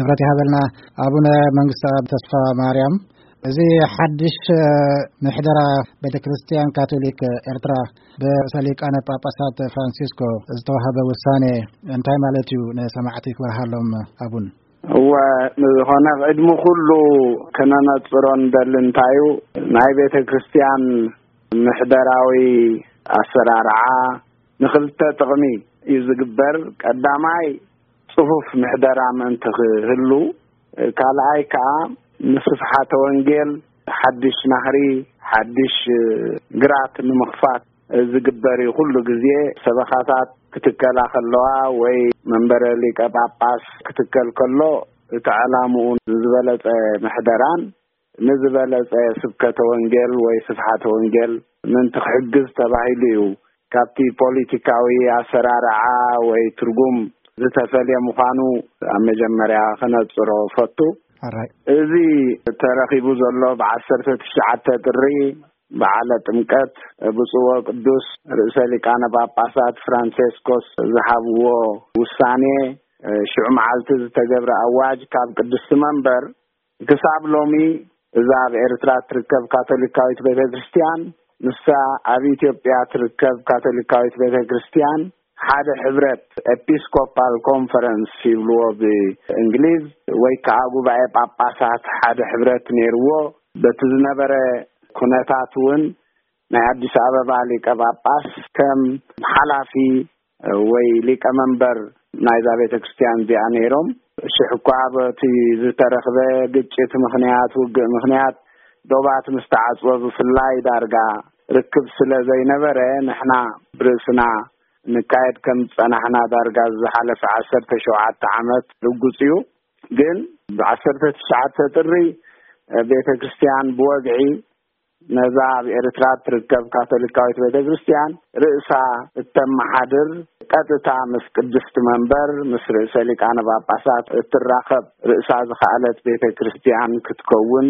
ክብረት ይሃበልና። ኣቡነ መንግስተ ተስፋ ማርያም፣ እዚ ሓድሽ ምሕደራ ቤተ ክርስቲያን ካቶሊክ ኤርትራ ብርእሰ ሊቃነ ጳጳሳት ፍራንሲስኮ ዝተዋህበ ውሳኔ እንታይ ማለት እዩ? ንሰማዕቲ ክበርሃሎም ኣቡን። እወ፣ ዝኾነ ቅድሚ ኩሉ ከነነጽሮ ንደሊ እንታይ እዩ፣ ናይ ቤተ ክርስቲያን ምሕደራዊ ኣሰራርዓ ንኽልተ ጥቕሚ እዩ ዝግበር። ቀዳማይ፣ ጽፉፍ ምሕደራ ምእንቲ ክህሉ፣ ካልኣይ ከኣ ንስፍሓተ ወንጌል ሓድሽ ናህሪ፣ ሓድሽ ግራት ንምኽፋት ዝግበር እዩ። ኩሉ ግዜ ሰበኻታት ክትከላ ከለዋ ወይ መንበረ ሊቀ ጳጳስ ክትከል ከሎ፣ እቲ ዕላምኡ ዝበለጸ ምሕደራን ንዝበለጸ ስብከተ ወንጌል ወይ ስፍሓተ ወንጌል ምእንቲ ክሕግዝ ተባሂሉ እዩ። ካብቲ ፖለቲካዊ ኣሰራርዓ ወይ ትርጉም ዝተፈልየ ምዃኑ ኣብ መጀመርያ ክነጽሮ ፈቱ። ኣራይ። እዚ ተረኺቡ ዘሎ ብ19 ጥሪ በዓለ ጥምቀት ብፁዕ ወቅዱስ ርእሰ ሊቃነ ጳጳሳት ፍራንሴስኮስ ዝሃብዎ ውሳኔ፣ ሽዑ መዓልቲ ዝተገብረ ኣዋጅ ካብ ቅድስቲ መንበር ክሳብ ሎሚ እዛ ኣብ ኤርትራ ትርከብ ካቶሊካዊት ቤተ ክርስቲያን፣ ንሳ ኣብ ኢትዮጵያ ትርከብ ካቶሊካዊት ቤተ ክርስቲያን ሓደ ሕብረት፣ ኤፒስኮፓል ኮንፈረንስ ይብልዎ ብእንግሊዝ፣ ወይ ከዓ ጉባኤ ጳጳሳት ሓደ ሕብረት ነይርዎ። በቲ ዝነበረ ኩነታት እውን ናይ ኣዲስ ኣበባ ሊቀ ጳጳስ ከም ሓላፊ ወይ ሊቀ መንበር ናይዛ ቤተ ክርስቲያን እዚኣ ነይሮም። ሽሕ እኳ በቲ ዝተረኽበ ግጭት ምኽንያት፣ ውግእ ምኽንያት ዶባት ምስ ተዓጽወ ብፍላይ ዳርጋ ርክብ ስለ ዘይነበረ፣ ንሕና ብርእስና ንካየድ ከም ዝጸናሕና ዳርጋ ዝሓለፈ ዓሰርተ ሸውዓተ ዓመት ርጉጽ እዩ። ግን ብ19 ጥሪ ቤተ ክርስቲያን ብወግዒ ነዛ ኣብ ኤርትራ ትርከብ ካቶሊካዊት ቤተ ክርስቲያን ርእሳ እተመሓድር፣ ቀጥታ ምስ ቅድስቲ መንበር፣ ምስ ርእሰ ሊቃነ ጳጳሳት እትራኸብ፣ ርእሳ ዝኸኣለት ቤተ ክርስቲያን ክትከውን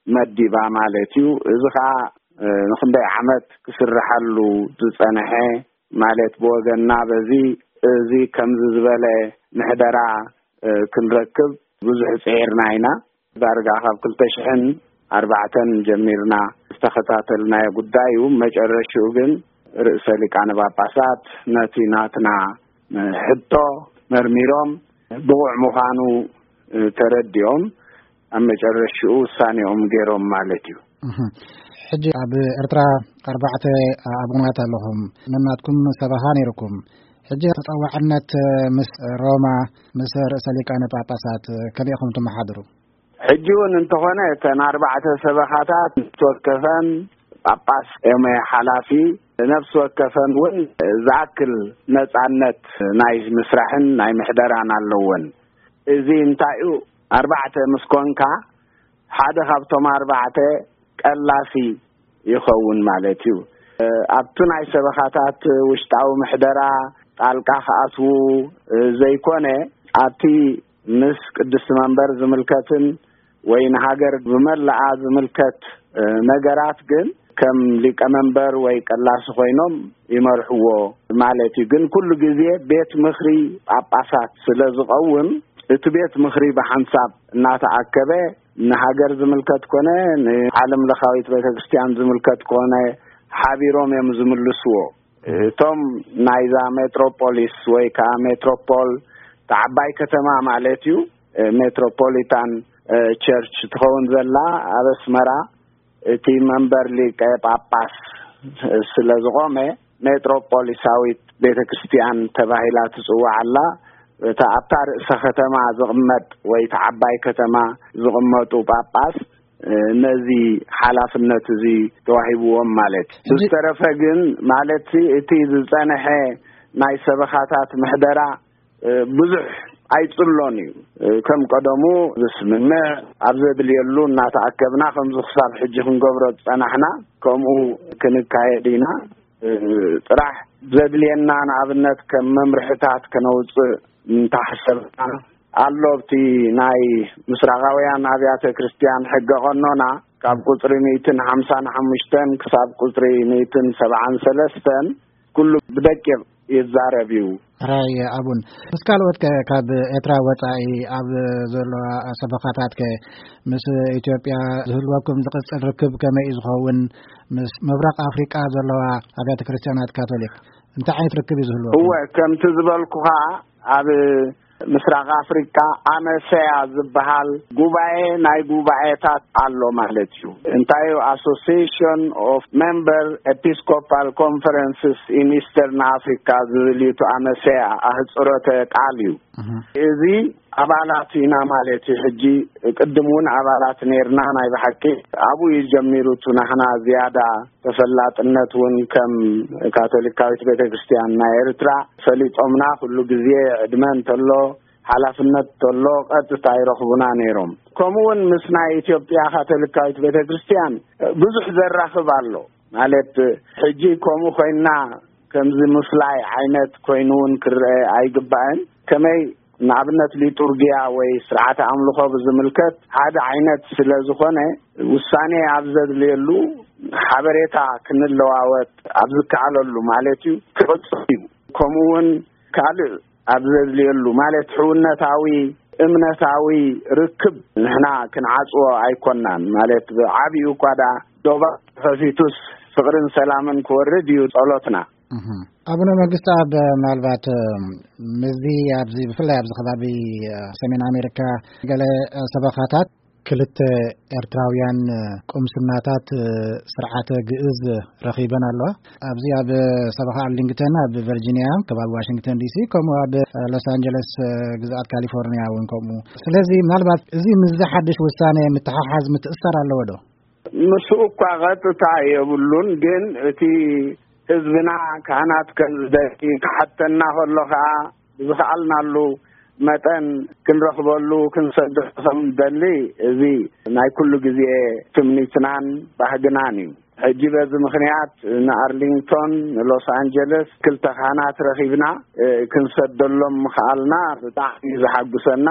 መዲባ ማለት እዩ። እዚ ኸኣ፣ እ፣ ንኽንደይ ዓመት ክስርሐሉ ዝጸንሐ ማለት ብወገንና በዚ፣ እዚ ከምዚ ዝበለ ምሕደራ፣ እ፣ ክንረክብ ብዙሕ ጽዒርና ኢና። ዳርጋ ካብ ክልተ ሽሕን ኣርባዕተን ጀሚርና ዝተኸታተልናዮ ጉዳይ እዩ። መጨረሽኡ ግን ርእሰ ሊቃነ ጳጳሳት ነቲ ናትና ሕቶ መርሚሮም ብቑዕ ምዃኑ ተረዲኦም ኣብ መጨረሽኡ ውሳኔኦም ገይሮም ማለት እዩ። እህ። ሕጂ ኣብ ኤርትራ ኣርባዕተ ኣቡናት ኣለኹም። ነናትኩም ሰበኻ ነይርኩም። ሕጂ ተጸዋዕነት ምስ ሮማ፣ ምስ ርእሰ ሊቃነ ጳጳሳት ከመይ ኢኹም ትመሓድሩ? ሕጂ እውን እንተኾነ እተን ኣርባዕተ ሰበኻታት ነፍሲ ወከፈን ጳጳስ እዮም ሓላፊ፣ ነፍሲ ወከፈን እውን ዝኣክል ነጻነት ናይ ምስራሕን ናይ ምሕደራን ኣለወን። እዚ እንታይ እዩ? ኣርባዕተ ምስ ኮንካ ሓደ ካብቶም ኣርባዕተ ቀላሲ ይኸውን ማለት እዩ። ኣብቲ ናይ ሰበኻታት ውሽጣዊ ምሕደራ ጣልቃ ክኣትዉ ዘይኮነ፣ ኣብቲ ምስ ቅድስቲ መንበር ዝምልከትን ወይ ንሃገር ብመላኣ ዝምልከት፣ እ፣ ነገራት ግን ከም ሊቀ መንበር ወይ ቀላሲ ኮይኖም ይመርሕዎ ማለት እዩ። ግን ኩሉ ግዜ ቤት ምኽሪ ጳጳሳት ስለ ዝቐውም፣ እቲ ቤት ምኽሪ ብሓንሳብ እናተኣከበ ንሃገር ዝምልከት ኮነ ንዓለምለኻዊት ቤተክርስትያን ዝምልከት ኮነ ሓቢሮም እዮም ዝምልስዎ። እቶም ናይዛ ሜትሮፖሊስ ወይ ከዓ ሜትሮፖል፣ እታ ዓባይ ከተማ ማለት እዩ፣ ሜትሮፖሊታን ቸርች ትኸውን ዘላ ኣብ ኣስመራ፣ እቲ መንበር ሊቀ ጳጳስ ስለ ዝቖመ፣ ሜትሮፖሊሳዊት ቤተ ክርስቲያን ተባሂላ ትጽዋዕ ኣላ። እታ ኣብታ ርእሰ ከተማ ዝቕመጥ ወይ እታ ዓባይ ከተማ ዝቕመጡ ጳጳስ፣ ነዚ ሓላፍነት እዚ ተዋሂብዎም ማለት እዩ። ሕጂ ዝተረፈ ግን፣ ማለት እቲ ዝጸንሐ ናይ ሰበኻታት ምሕደራ፣ እ፣ ብዙሕ ኣይጽሎን እዩ። እ፣ ከም ቀደሙ ዝስምምዕ፣ ኣብ ዘድልየሉ እናተኣከብና ከምዚ ክሳብ ሕጂ ክንገብሮ ዝጸናሕና፣ ከምኡ ክንካየድ ኢና። እ፣ ጥራሕ ዘድልየና ንኣብነት ከም መምርሕታት ከነውጽእ እንተሓሰብና፣ ኣሎ ኣብቲ ናይ ምስራቓውያን ኣብያተ ክርስቲያን ሕገ ቀኖና ካብ ቁጽሪ ሚእትን ሓምሳን ሓሙሽተን ክሳብ ቁጽሪ ሚእትን ሰብዓን ሰለስተን ኩሉ ብደቂቕ ይዛረብ እዩ። ሕራይ ኣቡን፣ ምስ ካልኦት ከ ካብ ኤርትራ ወጻኢ ኣብ ዘለዋ ሰበኻታት ከ ምስ ኢትዮጵያ ዝህልወኩም ዝቕጽል ርክብ ከመይ እዩ ዝኸውን? ምስ ምብራቕ ኣፍሪቃ ዘለዋ ኣብያተ ክርስቲያናት ካቶሊክ እንታይ ዓይነት ርክብ እዩ ዝህልወኩም? እወ፣ ከምቲ ዝበልኩኻ፣ ኣብ ምስራቕ ኣፍሪቃ ኣመሰያ ዝበሃል ጉባኤ ናይ ጉባኤታት ኣሎ ማለት እዩ። እንታይ እዩ? Association of Member Episcopal Conferences in Eastern Africa ዝብል እዩ። እቲ ኣመሰያ ኣህፅሮተ ቃል እዩ። እዚ ኣባላት ኢና ማለት እዩ። ሕጂ ቅድም እውን ኣባላት ነርና። ናይ ብሓቂ ኣብኡ እዩ ጀሚሩ። እቲ ናሕና ዝያዳ ተፈላጥነት እውን ከም ካቶሊካዊት ቤተ ክርስቲያን ናይ ኤርትራ ፈሊጦምና። ኩሉ ግዜ ዕድመ እንተሎ፣ ሓላፍነት እንተሎ፣ ቀጥታ ይረኽቡና ነይሮም። ከምኡ እውን ምስ ናይ ኢትዮጵያ ካቶሊካዊት ቤተ ክርስቲያን ብዙሕ ዘራኽብ ኣሎ። ማለት፣ ሕጂ ከምኡ ኮይና ከምዚ ምፍላይ ዓይነት ኮይኑ እውን ክረአ ኣይግባእን። ከመይ ንኣብነት ሊጡርጊያ ወይ ስርዓተ ኣምልኾ ብዝምልከት ሓደ ዓይነት ስለ ዝኾነ፣ ውሳኔ ኣብ ዘድልየሉ፣ ሓበሬታ ክንለዋወጥ ኣብ ዝከኣለሉ ማለት እዩ፣ ክቕጽል እዩ። ከምኡ እውን ካልእ ኣብ ዘድልየሉ ማለት ሕውነታዊ፣ እምነታዊ ርክብ ንሕና ክንዓጽዎ ኣይኮናን። ማለት ብዓቢኡ እኳ ደኣ ዶባ ተኸፊቱስ ፍቕርን ሰላምን ክወርድ እዩ ጸሎትና። ኣቡነ መንግስቲ ኣብ ምናልባት ምስዚ ኣብዚ ብፍላይ ኣብዚ ከባቢ ሰሜን ኣሜሪካ ገለ ሰበኻታት ክልተ ኤርትራውያን ቁምስናታት ስርዓተ ግእዝ ረኺበን ኣለዋ። ኣብዚ ኣብ ሰበኻ ኣርሊንግተን ኣብ ቨርጂኒያ ከባቢ ዋሽንግተን ዲሲ፣ ከምኡ ኣብ ሎስ ኣንጀለስ ግዝኣት ካሊፎርኒያ እውን ከምኡ። ስለዚ ምናልባት እዚ ምስዚ ሓድሽ ውሳኔ ምትሓሓዝ ምትእስሳር ኣለዎ ዶ? ምስኡ እኳ ቀጥታ የብሉን፣ ግን እቲ ህዝብና ካህናት ከም ዝደሊ ክሓተና ከሎ ከዓ ብዝኸኣልናሉ መጠን ክንረኽበሉ ክንሰዶ ከም ደሊ፣ እዚ ናይ ኩሉ ግዜ ትምኒትናን ባህግናን እዩ። ሕጂ በዚ ምኽንያት ንኣርሊንግቶን ንሎስ ኣንጀለስ ክልተ ካህናት ረኺብና ክንሰደሎም ምኽኣልና ብጣዕሚ እዩ ዘሓጉሰና።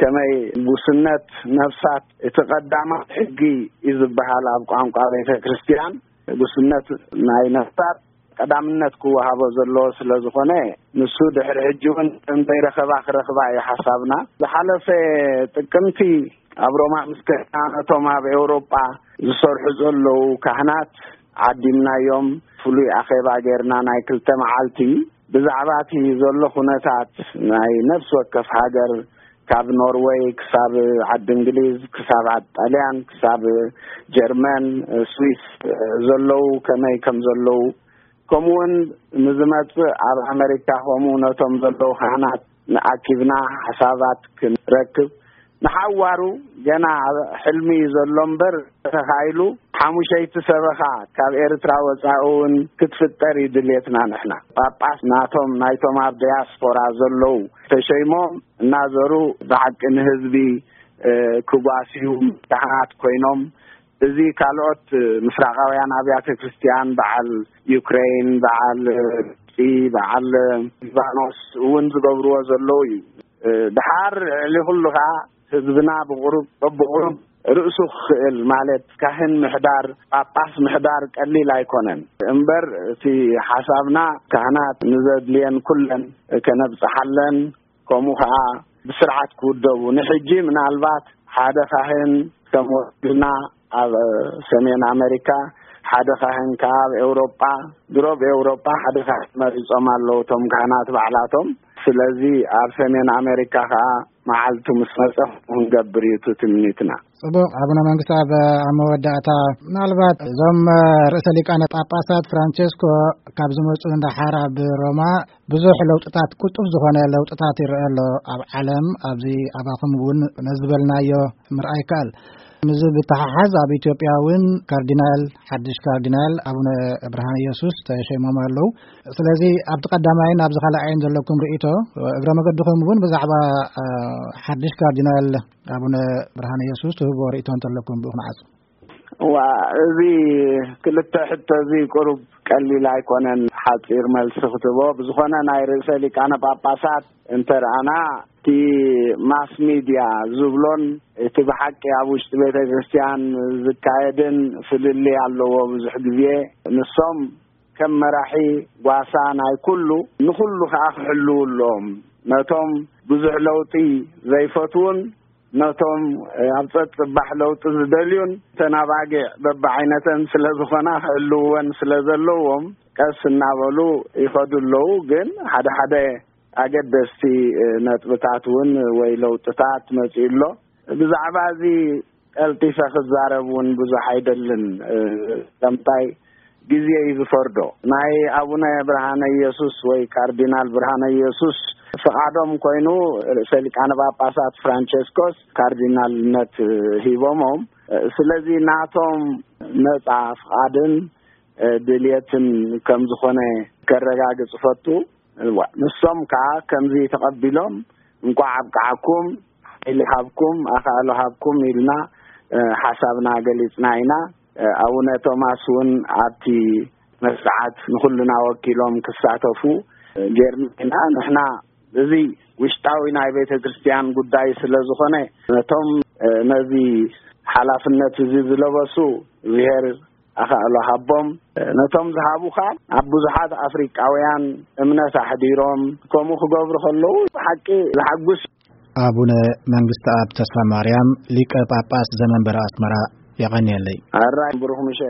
ከመይ ጉስነት ነፍሳት እቲ ቀዳማት ሕጊ እዩ ዝበሃል ኣብ ቋንቋ ቤተ ክርስቲያን፣ ጉስነት ናይ ነፍሳት ቀዳምነት ክወሃቦ ዘለዎ ስለ ዝኾነ፣ ንሱ ድሕሪ ሕጂ እውን ከም ዘይረኸባ ክረኽባ እዩ ሓሳብና። ዝሓለፈ ጥቅምቲ ኣብ ሮማ ምስ ከድና፣ ነቶም ኣብ ኤውሮጳ ዝሰርሑ ዘለዉ ካህናት ዓዲምናዮም፣ ፍሉይ ኣኼባ ጌርና ናይ ክልተ መዓልቲ። ብዛዕባ እቲ ዘሎ ኩነታት ናይ ነፍሲ ወከፍ ሃገር፣ ካብ ኖርወይ ክሳብ ዓዲ እንግሊዝ፣ ክሳብ ዓዲ ጣልያን፣ ክሳብ ጀርመን፣ ስዊስ ዘለዉ ከመይ ከም ዘለዉ፣ ከምኡውን ንዝመጽእ ኣብ ኣመሪካ ከምኡ ነቶም ዘለዉ ካህናት ንኣኪብና ሓሳባት ክንረክብ ንሓዋሩ። ገና ሕልሚ እዩ ዘሎ እምበር፣ ተኻኢሉ ሓሙሸይቲ ሰበኻ ካብ ኤርትራ ወጻኢ እውን ክትፍጠር እዩ ድልየትና። ንሕና ጳጳስ ናቶም፣ ናይቶም ኣብ ዲያስፖራ ዘለዉ ተሸይሞም እናዘሩ ብሓቂ ንህዝቢ ክጓስዩ ካህናት ኮይኖም፣ እዚ ካልኦት ምስራቃውያን ኣብያተ ክርስቲያን፣ በዓል ዩክሬን፣ በዓል ግብፂ፣ በዓል ሊባኖስ እውን ዝገብርዎ ዘለዉ እዩ። ድሓር ልዕሊ ኩሉ ከዓ ህዝብና ብቁሩብ በብቁሩብ ርእሱ ክኽእል፣ ማለት ካህን ምሕዳር፣ ጳጳስ ምሕዳር ቀሊል ኣይኮነን። እምበር እቲ ሓሳብና ካህናት ንዘድልየን ኩለን ከነብፅሓለን፣ ከምኡ ከዓ ብስርዓት ክውደቡ። ንሕጂ ምናልባት ሓደ ካህን ከም ወኪልና ኣብ ሰሜን ኣመሪካ፣ ሓደ ካህን ከዓ ኣብ ኤውሮጳ፣ ድሮ ኣብ ኤውሮጳ ሓደ ካህን መሪጾም ኣለዉ እቶም ካህናት ባዕላቶም። ስለዚ ኣብ ሰሜን ኣመሪካ ከዓ መዓልቱ ምስ መጸ ክንገብር እዩ እቲ ትምኒትና። ጽቡቕ። ኣቡነ መንግስቲ፣ ኣብ ኣብ መወዳእታ ምናልባት እዞም ርእሰ ሊቃነ ጳጳሳት ፍራንቸስኮ ካብ ዝመጹ ንደሓር ኣብ ሮማ ብዙሕ ለውጥታት፣ ቁልጡፍ ዝኾነ ለውጥታት ይረአ ኣሎ ኣብ ዓለም። ኣብዚ ኣባኹም እውን ነዚ ዝበልናዮ ምርኣይ ይከኣል። ምስዚ ብተሓሓዝ ኣብ ኢትዮጵያ እውን ካርዲናል፣ ሓድሽ ካርዲናል ኣቡነ ብርሃነ ኢየሱስ ተሸይሞም ኣለዉ። ስለዚ ኣብቲ ቀዳማይን ኣብዚ ካልኣይን ዘለኩም ርእይቶ፣ እግረ መገድኹም እውን ብዛዕባ ሓድሽ ካርዲናል ኣቡነ ብርሃነ ኢየሱስ ትህብዎ ርእይቶ እንተለኩም ብኡ ክንዓጹ። ዋ፣ እዚ ክልተ ሕቶ እዚ ቁሩብ ቀሊል ኣይኮነን ሓጺር መልሲ ክትቦ። ብዝኾነ ናይ ርእሰ ሊቃነ ጳጳሳት እንተ ረኣና፣ እቲ ማስ ሚድያ ዝብሎን እቲ ብሓቂ ኣብ ውሽጢ ቤተ ክርስቲያን ዝካየድን ፍልልይ ኣለዎ። ብዙሕ ግዜ ንሶም ከም መራሒ ጓሳ ናይ ኩሉ፣ ንኹሉ ከኣ ክሕልዉ ኣለዎም። ነቶም ብዙሕ ለውጢ ዘይፈትዉን ነቶም ኣብ ጸጥ ጽባሕ ለውጢ ዝደልዩን፣ እተን ኣባጊዕ በብዓይነተን ስለ ዝኾና ክሕልውወን ስለ ዘለዎም፣ ቀስ እናበሉ ይኸዱ ኣለዉ። ግን ሓደ ሓደ ኣገደስቲ ነጥብታት እውን ወይ ለውጥታት መጺኡ ኣሎ። ብዛዕባ እዚ ቀልጢፈ ክዛረብ እውን ብዙሕ ኣይደልን። ከምታይ ግዜ እዩ ዝፈርዶ። ናይ ኣቡነ ብርሃነ ኢየሱስ ወይ ካርዲናል ብርሃነ ኢየሱስ ፍቓዶም ኮይኑ፣ ርእሰ ሊቃነ ጳጳሳት ፍራንቸስኮስ ካርዲናልነት ሂቦሞም። ስለዚ ናቶም ነጻ ፍቓድን ድልየትን ከም ዝኾነ ከረጋግጽ ፈቱ። እዋ፣ ንሶም ከኣ ከምዚ ተቐቢሎም፣ "እንቋዕ ኣብቅዓኩም፣ ሓይሊ ሃብኩም፣ ኣኻእሎ ሃብኩም" ኢልና፣ እ፣ ሓሳብና ገሊጽና ኢና። እ፣ ኣቡነ ቶማስ እውን ኣብቲ መስርዓት ንኹልና ወኪሎም ክሳተፉ፣ እ፣ ጌርና ኢና። ንሕና እዚ ውሽጣዊ ናይ ቤተ ክርስቲያን ጉዳይ ስለ ዝኾነ፣ ነቶም፣ እ፣ ነዚ ሓላፍነት እዚ ዝለበሱ፣ እግዚኣብሔር ኣኻእሎ ሃቦም። ነቶም ዝሃቡ ኸኣ ኣብ ብዙሓት ኣፍሪቃውያን እምነት ኣሕዲሮም ከምኡ ክገብሩ ከለዉ ብሓቂ ዝሓጉስ። ኣቡነ መንግስተኣብ ተስፋ ማርያም፣ ሊቀ ጳጳስ ዘመንበረ ኣስመራ፣ የቐንየለይ። ኣራይ ብሩኽ ምሸት።